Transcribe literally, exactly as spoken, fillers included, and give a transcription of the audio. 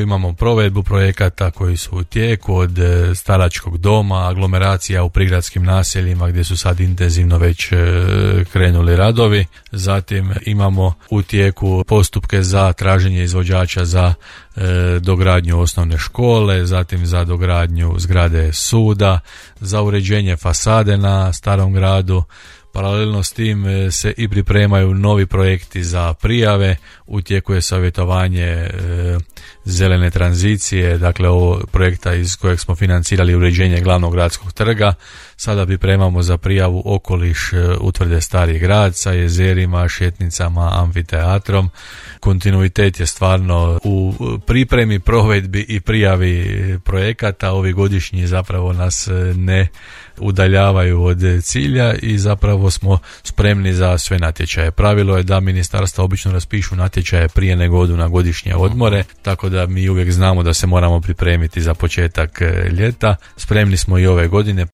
Imamo provedbu projekata koji su u tijeku, od staračkog doma, aglomeracija u prigradskim naseljima gdje su sad intenzivno već krenuli radovi. Zatim imamo u tijeku postupke za traženje izvođača za dogradnju osnovne škole, zatim za dogradnju zgrade suda, za uređenje fasade na Starom gradu. Paralelno s tim se i pripremaju novi projekti za prijave, u tijeku je savjetovanje e, zelene tranzicije, dakle ovo projekta iz kojeg smo financirali uređenje glavnog gradskog trga. Sada pripremamo za prijavu okoliš e, utvrde Stari grad sa jezerima, šetnicama, amfiteatrom. Kontinuitet je stvarno u pripremi, provedbi i prijavi projekata. Ovi godišnji zapravo nas ne udaljavaju od cilja i zapravo smo spremni za sve natječaje. Pravilo je da ministarstva obično raspišu natječaje prije nego odu na godišnje odmore, tako da mi uvijek znamo da se moramo pripremiti za početak ljeta. Spremni smo i ove godine.